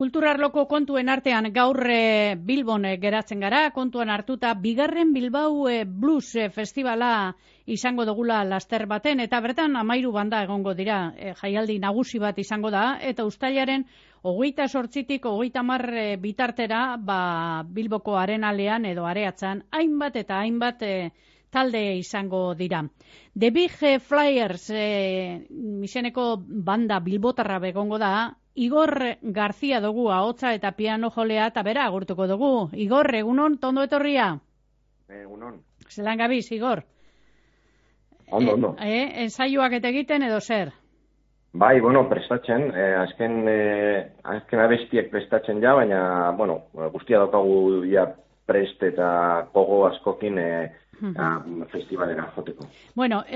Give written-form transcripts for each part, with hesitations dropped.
Kulturarloko kontuen artean gaur Bilbon geratzen gara, kontuan hartuta bigarren Bilbao Blues Festivala izango dugula laster baten, eta bertan 13 banda egongo dira, jaialdi nagusi bat izango da, eta uztailaren 28tik 30 bitartera Bilboko arenalean edo areatzan hainbat eta hainbat talde izango dira. The Big Flyers izeneko banda bilbotarra begongo da. Igor García dugu ahotsa eta piano jolea eta bera agurtuko dugu. Igor, egunon, tondo etorria? Egunon. Zelan gabiz, Igor? Ondo. Ensaioak eta egiten edo zer? Bai, prestatzen, azken abestiek prestatzen ja, baina, guztia daukagu ja prest eta gogo askokin festivalera joteko.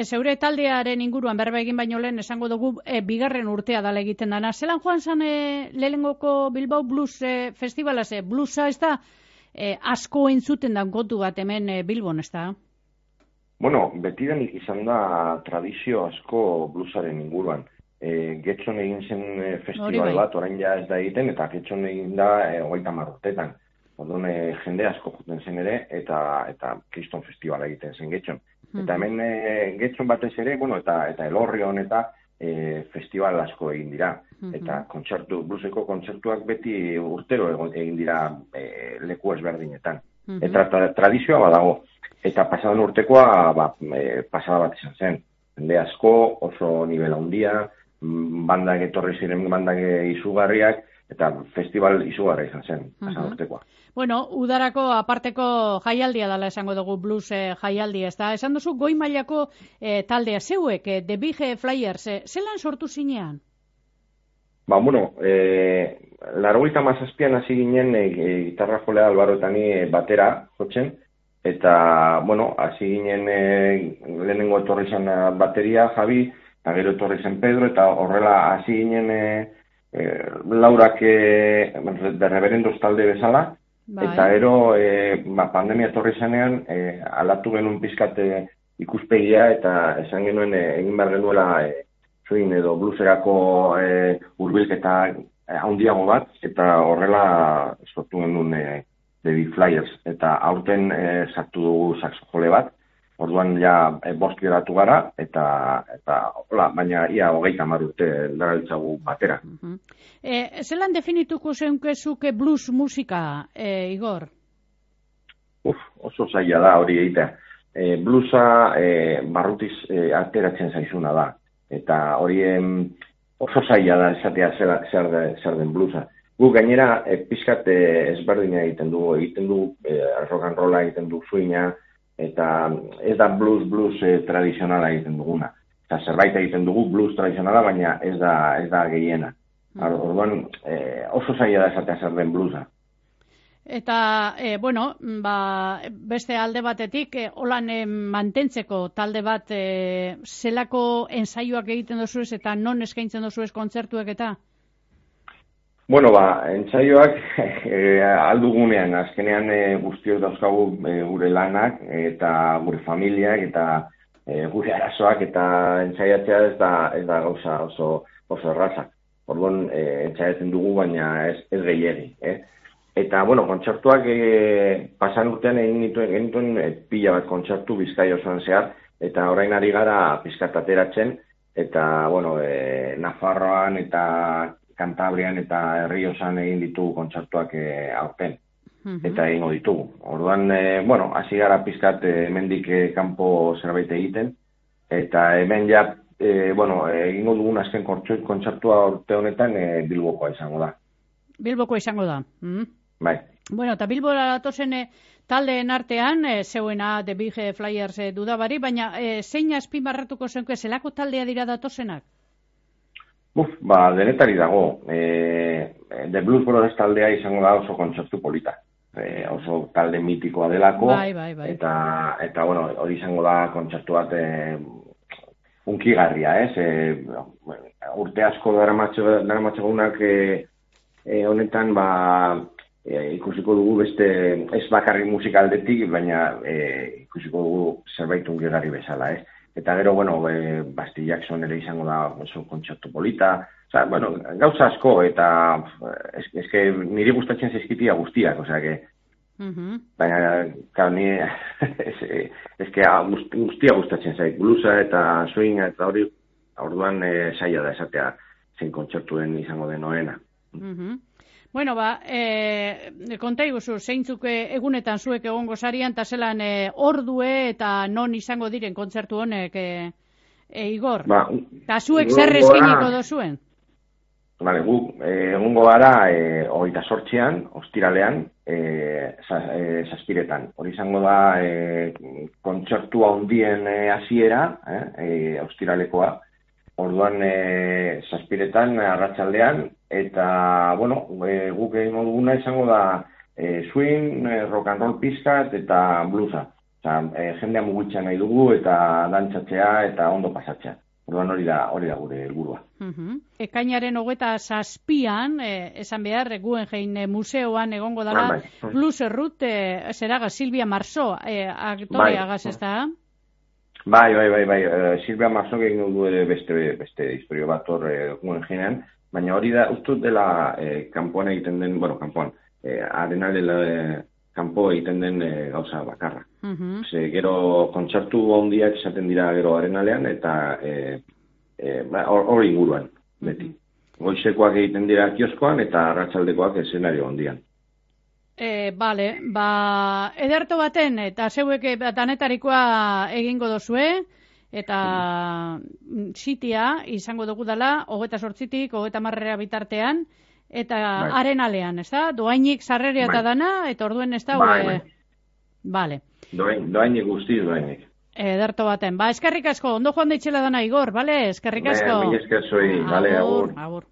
Zeure taldearen inguruan berba egin baino lehen esango dugu bigarren urtea dala egiten dana. Zelan joan zan lehenengoko Bilbao Blues Festivala, bluesa ez da asko entzuten dan kontu bat hemen Bilbon, ez da? Betidanik izan da tradizio asko bluesaren inguruan. Getxon egin zen festival bat, orain ja ez da egiten, eta Getxon egin da 30 urtetan. Orduan jende asko juten zen ere, eta Kriston Festivala egiten zen Getxon. Eta hemen Getxon batez ere, eta Elorrion eta festival asko egin dira. Eta blueseko kontzertuak beti urtero egin dira leku ezberdinetan. Eta tradizioa badago. Eta pasadan urtekoa pasada bat izan zen. Jende asko, oso nivel handia, bandak etorri ziren bandak izugarriak, eta festival izugarra izan zen, pasadan urtekoa. Udarako aparteko jaialdia dela esango dugu blues jaialdia, ez da? Esan duzu goi mailako taldea zeuek, The Big Flyers, zelan sortu zinean? 87an hasi ginen gitarra jolea Albaro eta ni batera jotzen, eta, hasi ginen lehenengo etorri zen bateria, Javi, eta gero etorri zen Pedro, eta horrela hasi ginen Laurak de Reverendos talde bezala, eta gero pandemia etorri zenean aldatu genuen pizkat ikuspegia, eta esan genuen egin behar genuela soin edo blueserako hurbilketa handiago bat, eta horrela sortu genuen The Big Flyers, eta aurten sartu dugu saxofole bat, orduan ja bost geratu gara, eta baina ia 30 urte darabiltzagu batera. Zelan definituko zeunkezuke blues musika, Igor? Oso zaila da hori egitea. Bluesa barrutiz ateratzen zaizuna da, eta hori oso zaila da esatea zer den bluesa. Gu gainera pizkat ezberdina egiten du rock and rolla egiten du swinga, eta ez da blues tradizionala egiten duguna. Eta zerbait egiten dugu blues tradizionala, baina ez da gehiena. Orduan oso zaila da esatea zer den bluesa. Eta, beste alde batetik, holan mantentzeko talde bat zelako ensaioak egiten dozuez eta non eskaintzen dozuez kontzertuek eta? Entsaioak aldugunean, azkenean guztiok dauzkagu gure lanak eta gure familiak eta gure arazoak, eta entsaiatzea ez da gauza oso erraza. Orduan entsaiatzen dugu, baina ez gehiegi. Eta, kontzertuak pasan urtean egin genituen pila bat kontzertu Bizkaia osoan zehar, eta orain ari gara pizkat ateratzen, eta, Nafarroan eta Kantabrian eta Errioxan egin ditugu kontzertuak aurten, eta egingo ditugu. Orduan, hasi gara pizkat hemendik kanpo zerbait egiten, eta hemen ja, egingo dugun azken kontzertua urte honetan Bilbokoa izango da. Bilbokoa izango da. Bai. Eta Bilbora datozen taldeen artean, zeuena The Big Flyers dudabari, baina zein azpimarratuko zenke, zelako taldea dira datozenak? Denetari dago. The Blues Brothers taldea izango da oso kontzertu polita. Oso talde mitikoa delako. Bai. Eta hori izango da kontzertu bat unkigarria, urte asko daramatxegunak honetan, ikusiko dugu beste, ez bakarrik musika aldetik, baina ikusiko dugu zerbait unkigarri bezala, eta gero, bueno, Basti Jackson ere izango da oso kontzertu polita, osea, bueno, gauza asko, eta eske niri gustatzen zaizkitia guztiak, osea, baina, claro, ni eske guztia gustatzen zait, bluesa eta swinga eta hori, orduan saia da esatea zein kontzertuen izango den orena. Bueno, konta iguzu, zeintzuk egunetan zuek egongo zarian, eta zelan ordue eta non izango diren kontzertu honek, Igor? Eta zuek zer eskeniko dozuen? Vale, guk egungo gara 28an, ostiralean, Zazpiretan. Hori izango da kontzertua handien hasiera, ostiralekoa. Orduan Zazpiretan, arratsaldean, eta, bueno, guk egingo duguna izango da swing, rock and roll pizkat eta bluesa. Jendea mugitzea nahi dugu eta dantzatzea eta ondo pasatzea. Orduan hori da gure helburua. Ekainaren 27an, esan behar, Guggenheim museoan egongo dela, Blues Errut, zeraga, Silvia Marceau, aktoreagaz, ez da? Bai. Silvia Marceau egin du beste historio bat hor Guggenheimean, baina hori da, ustut dela kanpoan egiten den, bueno, kanpoan, Arenal kanpo egiten den gauza bakarra. Gero kontzertu handiak izaten dira gero Arenalean, eta hori inguruan, beti. Goizekoak egiten dira kioskoan, eta arratsaldekoak eszenario handian. Bale, ederto baten, eta zeuek danetarikoa egingo dozue, eta sitia izango dugu dela, 28tik 30 bitartean, eta Arenalean, ez da? Doainik sarreria eta dana, eta orduen ez da? Bale. Doainik guztiz, doainik. Ederto baten. Eskerrik asko, ondo joan daitxela dana, Igor, bale? Eskerrik asko. Mila esker zoi, bale, agur.